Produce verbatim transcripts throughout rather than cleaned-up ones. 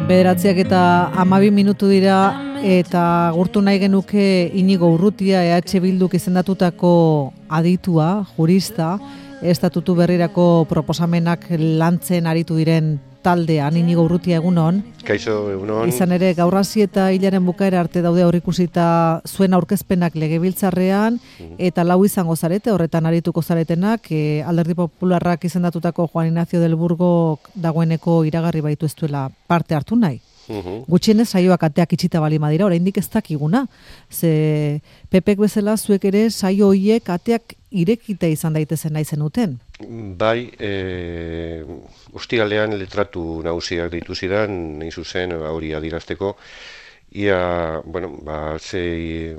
Bederatziak eta hamabi minutu dira eta gurtu nahi genuke Inigo Urrutia E H Bilduk izendatutako aditua, jurista, estatutu berrirako proposamenak lantzen aritu diren taldean. Inigo Urrutia, egunon. Kaixo, egunon. Izan ere, gaur hasi eta hilaren bukaera arte daude aurreikusita zuen aurkezpenak legebiltzarrean, eta lau izango zarete, horretan arituko zaretenak, e, Alderdi Popularrak izendatutako Juan Ignacio del Burgo dagoeneko iragarri baitu ez duela parte hartu nahi. Uhum. Gutxienez saioak ateak itxita bali madira, oraindik ez dakiguna. Ze Pepek bezala zuek ere saio hoiek ateak irekita izan daitezen nahi zenuten. Bai, e, ostiralean letratu nagusiak deitu zidan, nahi zuzen hori adirazteko. Ia, bueno, ba, ze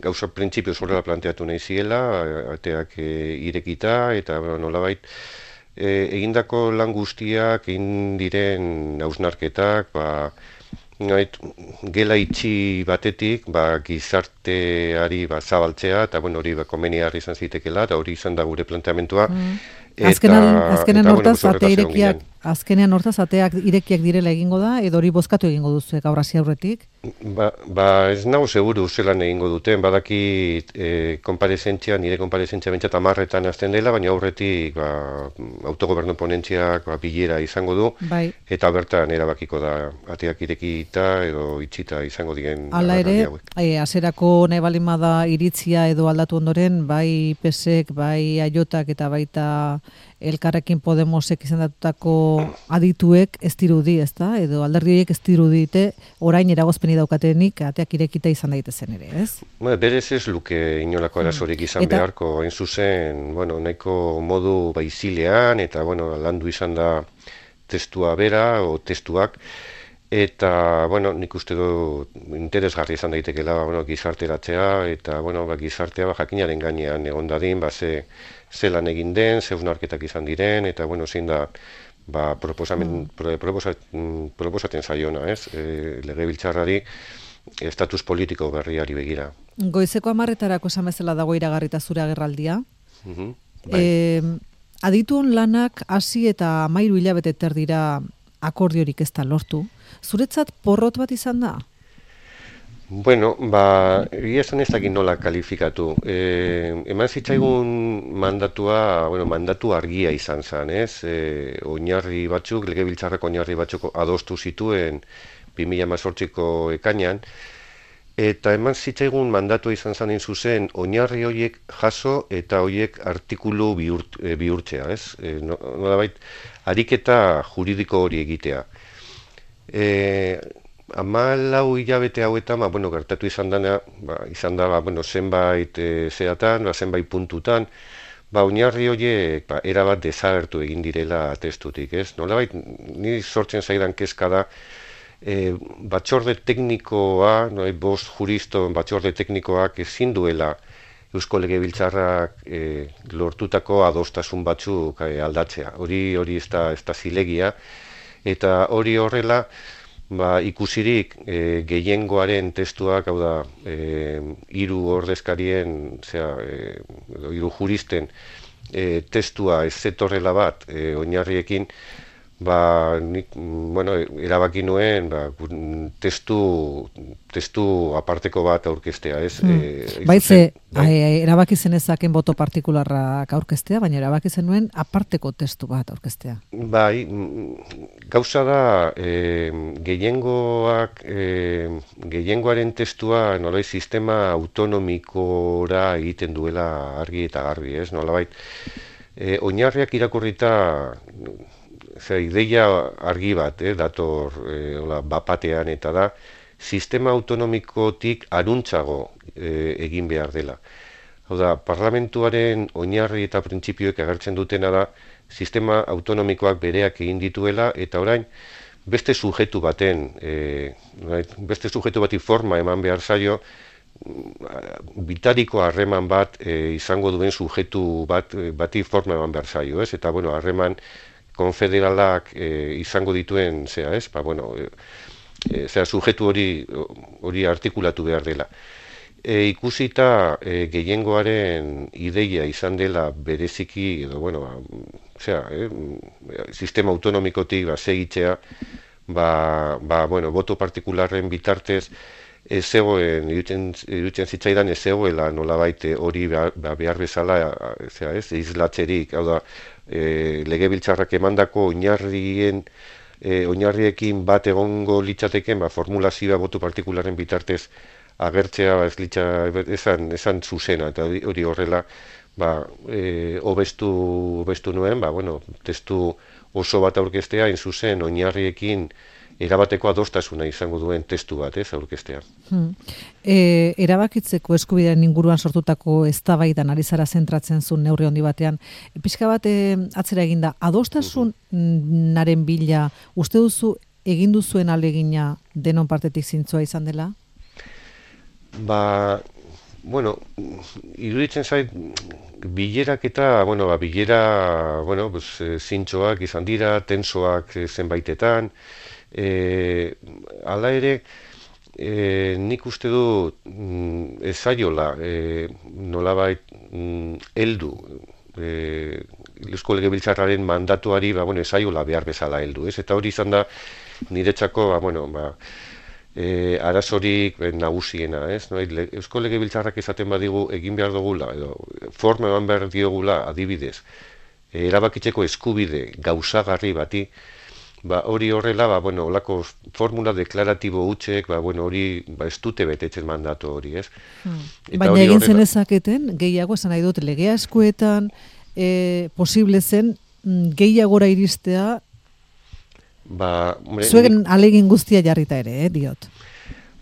gauza printzipioz horrela planteatu nahi ziela, ateak e, irekita, eta bueno, nolabait, E, egindako lan guztiak, egin diren hausnarketak, ba, nait, gela itxi batetik, ba, gizarteari ba, zabaltzea, eta bueno, hori ba, komenigarri izan zitekela, eta hori izan da gure planteamentua. Mm. Azkenean, azkenean eta, hortaz, bueno, ate irekiak, azkenean hortaz, ateak irekiak direla egingo da, edo hori bozkatu egingo duzu gaur hasi aurretik? Ba, ba ez nago seguru zelan egingo duten, badaki e, konparezentzia, nire konparezentzia bentsat amarretan azten dela, baina aurretik ba, autogobernu ponentziak ba, bilera izango du, bai. Eta bertan erabakiko da ateak irekita edo itxita izango diren. Hala ere, e, aserako nahi balimada iritzia edo aldatu ondoren, bai Pesek, bai Aiotak eta baita Elkarrekin Podemosek izendatutako adituek ez dirudi, ezta? Edo alderdi horiek ez dirudite orain eragozpeni daukatenik ateak irekita izan daitezen ere, ez? Ba, berez ez luke inolako arazorik izan eta, beharko, hain zuzen, bueno, nahiko modu baizilean eta bueno, landu izan da testua bera o testuak. Eta, bueno, nik uste du interesgarri izan daitekela bueno, gizarteratzea, eta bueno, ba, gizartea ba, jakinaren gainean egon dadin, ba, ze, ze lan egin den, ze hausnarketak izan diren, eta bueno, zein da ba, proposamen, mm. proposat, proposaten zaiona, ez? E, legebiltzarrari estatus politiko berriari begira. Goizeko hamarretarako esan bezala dago iragarrita zure agerraldia. Mm-hmm, bai. e, adituen lanak hasi eta hamairu hilabete terdira akordiorik ez da lortu. Zuretzat porrot bat izan da? Bueno, ba, egia esan ez dakit nola kalifikatu. E, eman zitzaigun mandatua, bueno, mandatu argia izan zen, ez? E, oinarri batzuk, legebiltzarreko oinarri batzuk adostu zituen bi mila hemezortziko ekainean, eta eman zitzaigun mandatu izan zen zuzen oinarri horiek jaso eta horiek artikulu bihurt, e, bihurtzea, ez? E, nolabait, ariketa juridiko hori egitea. E, Hamalau hilabete hauetan, ba, bueno, gertatu izan dana, ba, izan da, ba, bueno, zenbait e, zeatan, ba, zenbait puntutan, ba, oinarri horiek ba, erabat desagertu egin direla testutik, ez? Nolabait, ni sortzen zaidan kezka da, e, batzorde teknikoa, no, bost juriston batzorde teknikoak ezin duela Eusko Legebiltzarrak e, lortutako adostasun batzuk e, aldatzea. Hori hori ez da, ez da zilegia, eta hori horrela, ba, ikusirik e, gehiengoaren testuak, hau da, e, hiru ordezkarien, zera, e, hiru juristen e, testua ez zetorrela bat e, oinarriekin, ba, nik, bueno, erabaki nuen ba, testu, testu aparteko bat aurkeztea, ez? Hmm. E, Baitze, erabaki zenezaken boto partikularrak aurkeztea, baina erabaki zenuen aparteko testu bat aurkeztea. Bai, gauza da, e, gehiengoak, e, gehiengoaren testua nolabait sistema autonomikora egiten duela argi eta garbi, ez? Nolabait, e, oinarriak irakurrita, Zer, ideia argi bat, eh, dator eh, ola, bapatean eta da, sistema autonomikotik aruntzago eh, egin behar dela. Hau da, parlamentuaren oinarri eta printzipioek agertzen dutena da, sistema autonomikoak bereak egin dituela, eta orain, beste sujetu baten, eh, beste sujetu bati forma eman behar zaio, bitariko harreman bat eh, izango duen sujetu bat, bati forma eman behar zaio, ez? Eta, bueno, harreman konfederalak e, izango dituen, zera, ez? Ba, bueno, e, e, zera, sujetu hori, hori artikulatu behar dela. E, ikusita e, gehiengoaren ideia izan dela bereziki, edo, bueno, ba, zera, eh, sistema autonomikotik ba, segitzea, ba, ba, bueno, boto partikularren bitartez ez zegoen, irutzen, irutzen zitzaidan ez zegoela nolabait hori behar, behar bezala, zera ez, izlatzerik, hau da, e, legebiltzarrak emandako oinarrien, e, oinarriekin bat egongo litzateken, ba, formulazioa boto partikularren bitartez agertzea ez litza, esan, esan zuzena, eta hori horrela, ba, e, obestu, obestu nuen, ba, bueno, testu oso bat aurkeztea, in zuzen, oinarriekin erabateko adostasuna izango duen testu bat, ez, aurkeztea. Hmm. E, erabakitzeko eskubidearen inguruan sortutako eztabaidan ari zara zentratzen zuen neurri handi batean. E, pixka bat e, atzera eginda, adostasunaren bila, uste duzu egin duzuen alegina denon partetik zintzoa izan dela? Ba, bueno, iruditzen zait, bilerak eta, bueno, ba, bilera, bueno, pues, zintzoak izan dira, tensoak zenbaitetan, E, ala ere, e, nik uste du mm, ezaiola e, nolabait mm, heldu e, Eusko Legebiltzarraren mandatuari ba, bueno, ezaiola behar bezala heldu, ez? Eta hori izan da niretzako ba, bueno, ba, e, arazorik e, nagusiena, ez? No? Eusko Legebiltzarrak esaten badigu egin behar dugula, edo forma eman behar diogula adibidez, e, erabakitzeko eskubide gauzagarri bati, ba, hori horrela, ba, bueno, olako formula deklaratibo hutsek, ba, bueno, hori ba, ez dute betetzen mandatu hori, ez? Hmm. Baina egin horrela... zenezaketen, gehiago esan nahi dut, legea eskuetan e, posible zen gehiagora iristea, ba, hombre, zuen nik, alegin guztia jarrita ere, eh, diot.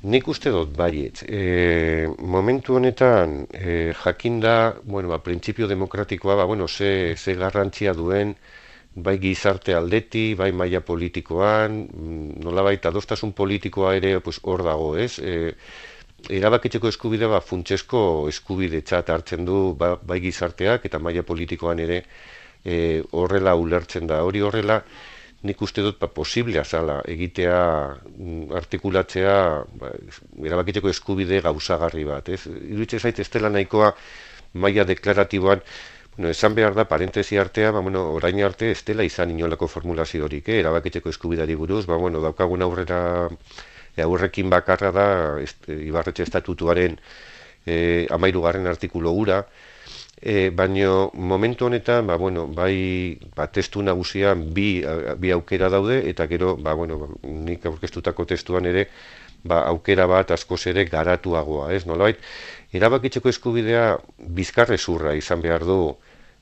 Nik uste dut baiet. E, momentu honetan, e, jakinda, bueno, ba, printzipio demokratikoa, ba, bueno, ze, ze garrantzia duen, bai gizarte aldeti, bai maila politikoan, nolabait adostasun politikoa ere pues, hor dago, ez? E, erabakitzeko eskubide ba, funtsesko eskubidetzat hartzen du ba, bai gizarteak eta maila politikoan ere e, horrela ulertzen da. Hori horrela, nik uste dut ba, posiblea zala egitea, artikulatzea ba, erabakitzeko eskubide gauzagarri bat, ez? Iruditzen zait ez dela nahikoa maila deklaratiboan. Bueno, esan behar da, parentesi artea, ba, bueno, orain arte ez dela izan inolako formulaziorik, eh? Erabakitzeko eskubidari buruz, ba, bueno, daukagun aurrera, e, aurrekin bakarra da, est, Ibarretxe estatutuaren e, amairugarren artikulu gura, e, baino momentu honetan, ba, bueno, bai, ba, testu nagusian bi, bi aukera daude, eta gero, ba, bueno, ba, nik aurkeztutako testuan ere, ba, aukera bat askoz ere garatuagoa, ez? Nolabait, erabakitzeko eskubidea bizkarrezurra izan behar du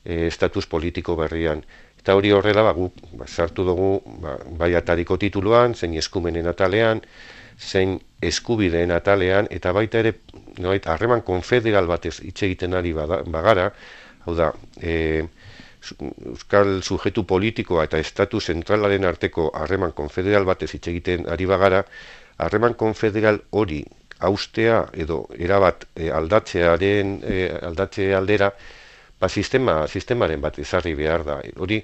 e, estatus politiko berrian. Eta hori horrela, ba, guk ba, sartu dugu ba, bai atariko tituluan, zein eskumenen atalean, zein eskubideen atalean, eta baita ere, nolabait, harreman konfederal batez hitz egiten ari bada, bagara, hau da, e, euskal sujetu politikoa eta estatu zentralaren arteko harreman konfederal batez hitz egiten ari bagara, harreman konfederal hori haustea edo erabat e, aldatzearen e, aldatze aldera ba, sistema, sistemaren bat ezarri behar da. Hori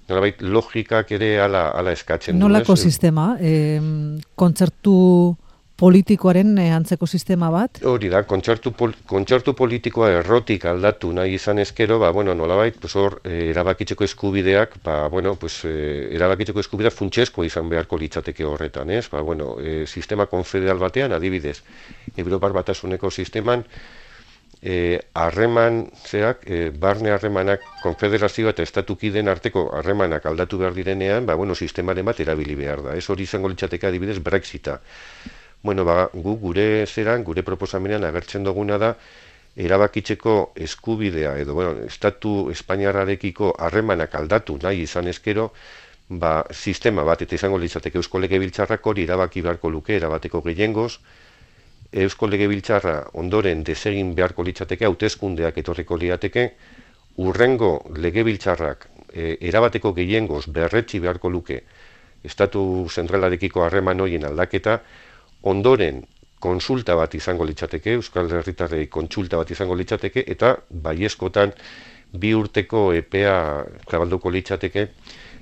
nolabait logikak ere ala, ala eskatzen du. Nolako sistema? E, kontzertu politikoaren e, antzeko sistema bat? Hori da, kontzertu, pol, kontzertu politikoa errotik aldatu nahi izan ezkero, ba, bueno, nolabait, pues hor, e, erabakitzeko eskubideak, ba, bueno, pues, e, erabakitzeko eskubidea funtsesko izan beharko litzateke horretan, ez? Ba, bueno, e, sistema konfederal batean, adibidez, Europar Batasuneko sisteman, harreman, e, zeak, e, barne harremanak, konfederazioa eta estatukideen arteko harremanak aldatu behar direnean, ba, bueno, sistemaren bat erabili behar da, ez? Hori izango litzateke adibidez Brexita. Bueno, ba, gu gure zeran, gure proposamenean agertzen duguna da, erabakitzeko eskubidea, edo, bueno, estatu espainiarrarekiko harremanak aldatu nahi izan ezkero, ba, sistema bat, eta izango litzateke Eusko Legebiltzarrak hori erabaki beharko luke, erabateko gehiengoz, Eusko Legebiltzarra ondoren desegin beharko litzateke, hauteskundeak etorriko liateke, urrengo Legebiltzarrak e, erabateko gehiengoz berretsi beharko luke, estatu zentralarekiko harreman horien aldaketa, ondoren konsulta bat izango litzateke, Euskal Herritarrei kontsulta bat izango litzateke, eta baiezkotan bi urteko epea zabalduko litzateke,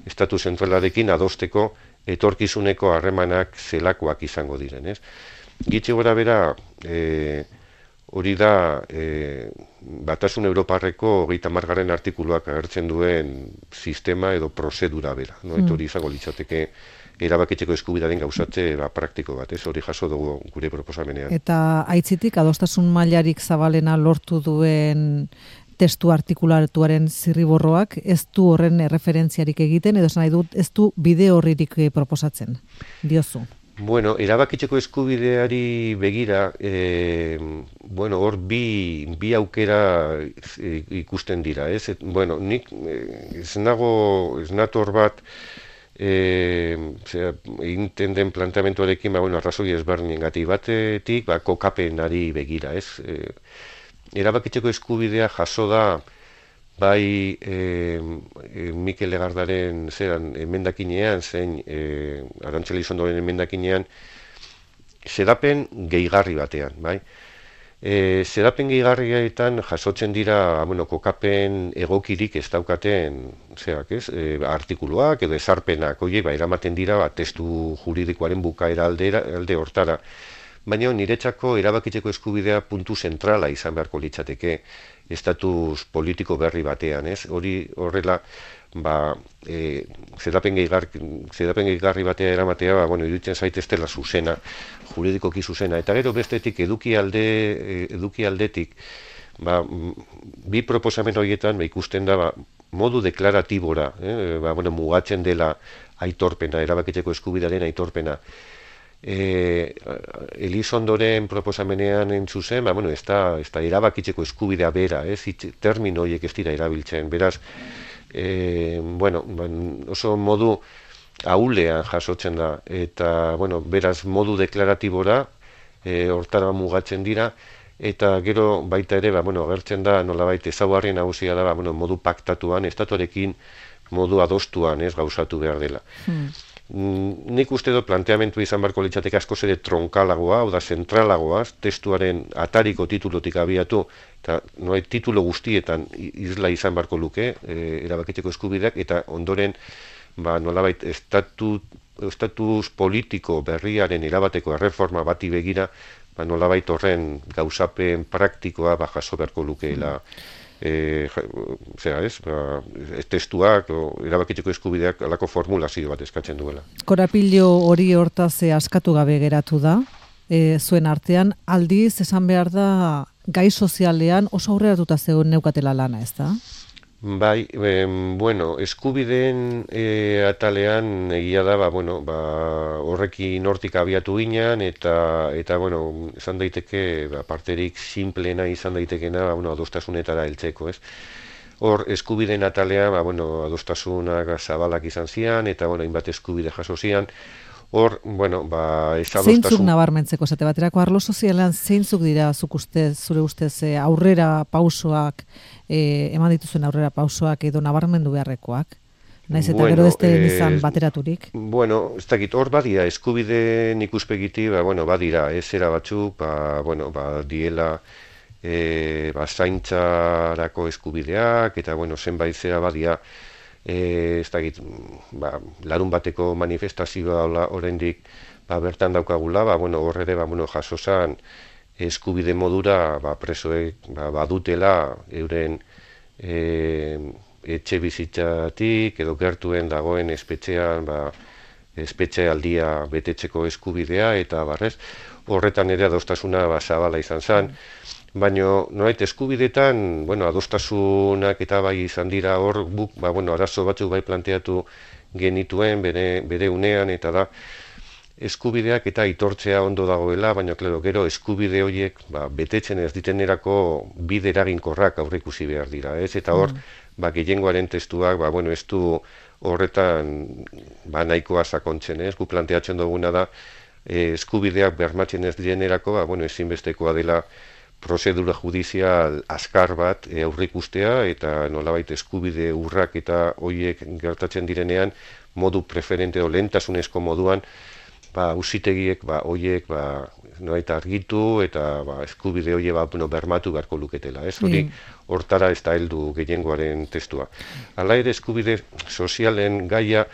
estatu zentralarekin adosteko etorkizuneko harremanak zelakoak izango diren, ez? Gitxi gora bera, e, hori da e, Batasun Europarreko hogeita hamargarren artikuluak agertzen duen sistema edo prozedura bera, no? Eta hori izango litzateke erabakitzeko eskubidearen gauzatze ba, praktiko bat, ez hori jaso dugu gure proposamenean. Eta aitzitik, adostasun mailarik zabalena lortu duen testu artikulatuaren zirriborroak ez du horren referentziarik egiten, edo esan nahi dut ez du bide horririk proposatzen, diozu. Bueno, erabakitzeko eskubideari begira, e, bueno, hor bi, bi aukera ikusten dira, ez? Et, bueno, nik ez nago, ez nator bat, E, zera, egiten den planteamentuarekin, ba, bueno, arrazoi ezberdinen gati batetik, ba, kokapenari begira, ez? E, erabakitzeko eskubidea jaso da, bai e, e, Mikel Legardaren zeran emendakinean, zein e, Arantxa Elizondoren emendakinean, xedapen gehigarri batean, bai? E, zerapen gehigarrietan jasotzen dira, bueno, kokapen egokirik ez daukaten zerak, ez? E, artikuluak edo ezarpenak, oie, ba, eramaten dira, ba, testu juridikoaren bukaera aldera, alde hortara. Baina niretzako erabakitzeko eskubidea puntu zentrala izan beharko litzateke estatus politiko berri batean, ez? Hori horrela, ba, e, zerapen gehigarri, zerapen gehigarri batea eramatea, ba, bueno, iruditzen zait ez dela zuzena, juridikoki zuzena, eta gero bestetik eduki alde, eduki aldetik, ba, bi proposamen horietan ba, ikusten da ba, modu deklaratibora, eh? ba, bueno, mugatzen dela aitorpena, erabakitzeko eskubidearen aitorpena. E, Elizondoren proposamenean entzuzen, ba, bueno, ez da, ez da erabakitzeko eskubidea bera, ez, termino horiek ez dira erabiltzen, beraz, e, bueno, oso modu ahulean jasotzen da, eta, bueno, beraz, modu deklaratibora, e, hortara mugatzen dira, eta gero baita ere, ba, bueno, agertzen da, nolabait ezaugarri nagusia da, ba, bueno, modu paktatuan, estatuarekin modu adostuan, ez, gauzatu behar dela. Hmm. Nik uste dut planteamentu izan barko litzateke askoz ere tronkalagoa, hau da zentralagoa, testuaren atariko titulotik abiatu, eta noai titulo guztietan isla izan barko luke, e, erabakitzeko eskubideak, eta ondoren, ba, nolabait, estatus, estatus politiko berriaren erabateko erreforma bati begira, ba, nolabait horren gauzapen praktikoa ba, jaso beharko lukeela. E, zera ez, ba, testuak, o, erabakitzeko eskubideak alako formulazio bat eskatzen duela. Korapilo hori hortaz askatu gabe geratu da, e, zuen artean, aldiz esan behar da gai sozialean oso aurreratuta zegoen neukatela lana, ez da? Bai, e, bueno, eskubideen e, atalean egia da, ba, bueno, ba, horrekin hortik abiatu ginen, eta, eta bueno, izan daiteke, ba, parterik simplena izan daitekena, ba, bueno, adostasunetara heltzeko, ez? Hor, eskubideen atalean, ba, bueno, adostasunak zabalak izan zian, eta, bueno, hainbat eskubide jaso zian. Hor, bueno, ba, ez adostasun... Zeintzuk nabarmentzeko, zate baterako arlo sozialean, zeintzuk dira zuk ustez, zure ustez, e, aurrera pausoak, e, eman dituzuen aurrera pausoak edo nabarmendu beharrekoak? Naiz eta bueno, gero ez den izan eh, bateraturik? Bueno, ez dakit, hor badira, eskubideen ikuspegiti, ba, bueno, badira, ezera batzuk, ba, bueno, ba, diela, e, ba, zaintzarako eskubideak, eta, bueno, zenbait zera badira, E, ez dakit, ba, larun bateko manifestazioa oraindik ba, bertan daukagula, ba, bueno, horre ere ba, bueno, jaso zan eskubide modura ba, presoek ba, badutela euren e, etxe bizitzatik edo gertuen dagoen espetxean ba, espetxe aldia betetzeko eskubidea eta barrez, horretan ere adostasuna ba, zabala izan zen. Baina, noait, eskubidetan, bueno, adostasunak eta bai izan dira hor, buk, ba, bueno, arazo batzuk bai planteatu genituen bere, bere unean, eta da, eskubideak eta aitortzea ondo dagoela, baina, klaro, gero, eskubide horiek, ba, betetzen ez ditenerako bide eraginkorrak aurreikusi behar dira, ez? Eta hor, mm. ba, gehiengoaren testuak, ba, bueno, ez du horretan, ba, nahikoa sakontzen, ez? Gu planteatzen duguna da, eh, eskubideak bermatzen ez direnerako, ba, bueno, ezinbestekoa dela, prozedura judizial azkar bat e, aurreikustea eta nolabait eskubide urrak eta hoiek gertatzen direnean modu preferente o lehentasunezko moduan ba auzitegiek ba hoiek ba nolabait argitu eta ba eskubide hoe ba bueno, bermatu beharko luketela, ez? Hori hortara ez da heldu gehiengoaren testua. Hala ere eskubide sozialen gaia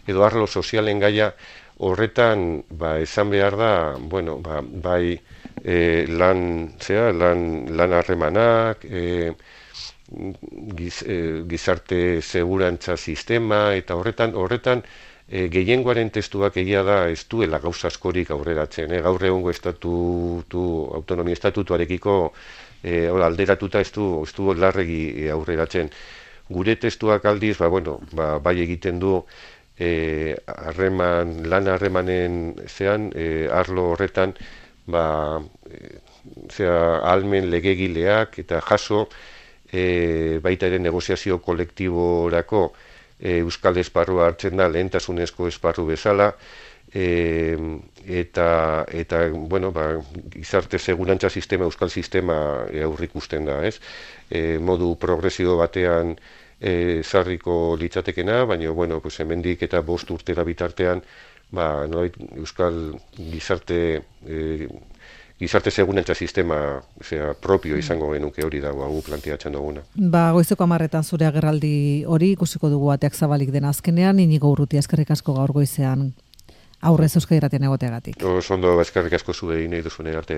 edo arlo sozialen gaia horretan ba esan behar da, bueno, ba bai E, lan, zera, lan, lan harremanak, e, giz, e, gizarte segurantza sistema, eta horretan, horretan e, gehiengoaren testuak egia da ez duela gauza askorik aurreratzen. E, gaur egungo estatutu, autonomia estatutuarekiko e, alderatuta ez du, ez du larregi aurreratzen. Gure testuak aldiz, ba, bueno, ba, bai egiten du e, harreman, lan harremanen zean, e, arlo horretan, ba, e, zera, almen legegileak eta jaso e, baita ere negoziazio kolektiborako e, euskal esparrua hartzen da lehentasunezko esparru bezala, e, eta, eta bueno, ba, gizarte segurantza sistema, euskal sistema e, aurrikusten da, ez? E, modu progresio batean e, zarriko litzatekena, baina, bueno, pues, hemendik eta bost urtera bitartean, ba, nolait, euskal gizarte e, gizarte segurantza sistema zera, propio izango genuke hori dago hau planteatzen duguna. Ba, goizeko hamarretan zure agerraldi hori ikusiko dugu ateak zabalik den azkenean, Inigo Urrutia, eskerrik asko gaur goizean aurrez Euskadi Irratian egoteagatik. Oso ondo, eskerrik asko zuei nahi duzune arte.